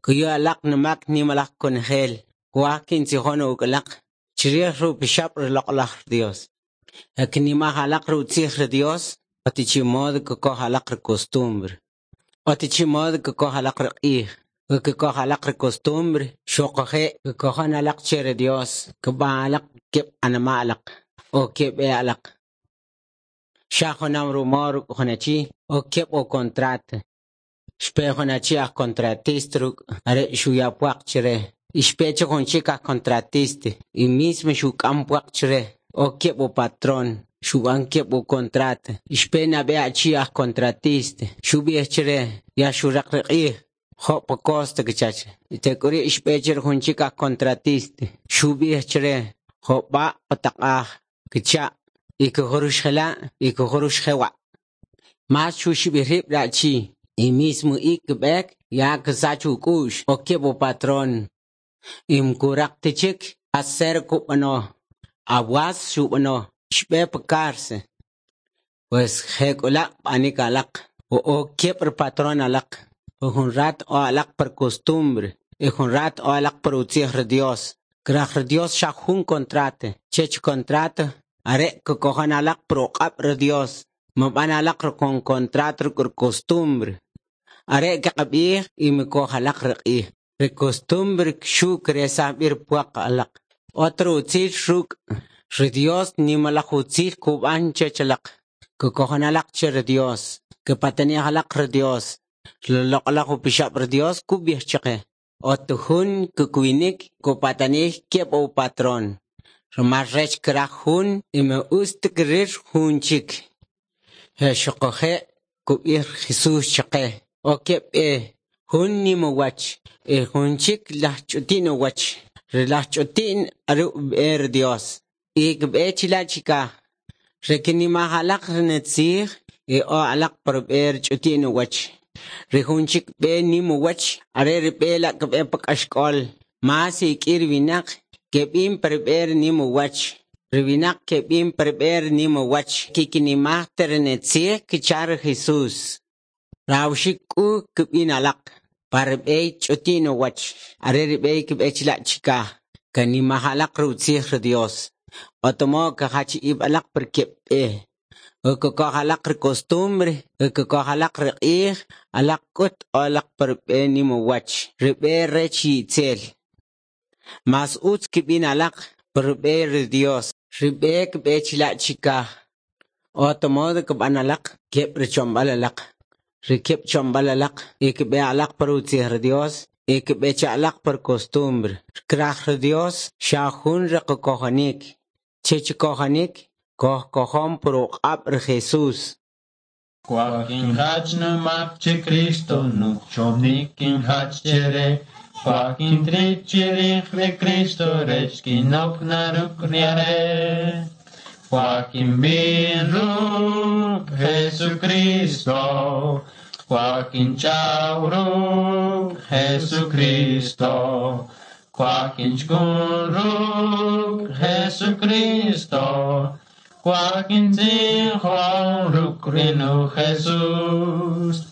Kuyu alaq numak nimalaj konojel, kwaj kintzijon uk' alaq chrij ri upixab' ri loq'laj Dios. E kinimaj alaq ri utzij ri Dios, ot ichi modo kikoj alaq ri costumbre. Ot ichi modo kikoj alaq ri q'ij. We kikoj alaq ri costumbre, xuquje' kikojon alaq che ri Dios, kb'an alaq keb' anima' alaq o keb' b'e alaq. Xa junam rumal ruk' jun achi o keb' u contrato. Xpe jun achi aj contratista ruk' are xuya pwaq chre. Y xpe chik jun chik aj contratista y mismo xuk'am pwaq chre o keb' u patrón. Xub'an keb' u contrato. Y xpe nab'e achi aj contratista xub'ij chre ya xuraq ri q'ij. Jo' pa costa kichache. Y tek'uri' xpe chik jun chik aj contratista xub'ij chre jo' b'a pa taq'aj kicha' y kujurux jela' y kujurux jewa'. Mas xuxib'ij rib' ri achi. Y mismo ik kb'ek ya ksach uk'u'x o keb' u patrón. Y mkuraq ta chik hacer kub'ano. Awas xub'ano. Xb'e pa cárcel. Pues jek'ula' b'anik alaq. O keb' ri patrón alaq. Jun rat o alaq por costumbre. Y jun rat o alaq por utzij ri Dios. Kraj ri Dios xa jun contrato. Chech contrato are kikojon alaq por uq'ab' ri Dios. Mab'an alaq con contrato ruk' ri costumbre. Are kaqab'ij y mikoj alaq ri q'ij. Ri costumbre xu kresaj b'i ri pwaq alaq. Otro utzil ruk' ri Dios nimalaj utzil kub'an chech alaq. Kikojon alaq che ri Dios. Kipatanij alaq ri Dios. Loq'laj upixab' ri Dios kub'ij chaqe. Ot jun kikwinik kupatanij keb' u patrón. Rumal rech kraj jun y me ust krir jun chik. Xuquje' kub'ij Jesús chaqe. O keb' b'e jun nim uwach y jun chik laj ch'uti'n uwach. Ri laj ch'uti'n are ub'e ri Dios. Y kb'e chila' chikaj. Ri kinimaj alaq ri nitzij y o alaq par b'e ri ch'uti'n uwach. Ri jun chik b'e nim uwach are ri b'e la kb'e pa k'axk'ol. Mas ik'i ri winaq keb'in par b'e ri nim uwach. Ri winaq keb'in par b'e ri nim uwach. Kikinimaj ta ri nitzij kicha ri Jesús. Rawxik k'u kb'in alaq. Par b'e ch'uti'n uwach. Are ri b'e kb'e chila' chikaj. Kanimaj alaq ri utzij ri Dios. Otomo kajach ib' alaq par keb' b'e. Kikoj alaq ri costumbre, kikoj alaq ri q'ij, alaq k'ut o alaq par b'e nim uwach. Ri b'e rech itzel. Mas utz kb'in alaq par b'e ri Dios. Ri b'e kb'e chila' chikaj. Otomo kb'an alaq keb' ri chomb'al alaq. Ri keb' chomb'al alaq y kb'e alaq par utzij ri Dios y kb'e cha alaq par costumbre. Kraj ri Dios xa jun ri qakojonik. Chech kojonik koj kojon por uq'ab' ri Jesús. Kwaj kinjach numak che Cristo, nuchomnik kinjach chere. Kwaj kintri chirij ri Cristo, rech kinok na ruk' ri are'. Kwaj kinb'in ruk' Jesucristo, kwaj kinch'aw ruk' Jesucristo, kwaj kinchkun ruk' Jesucristo, kwaj kintzijon ruk' ri nu Jesús.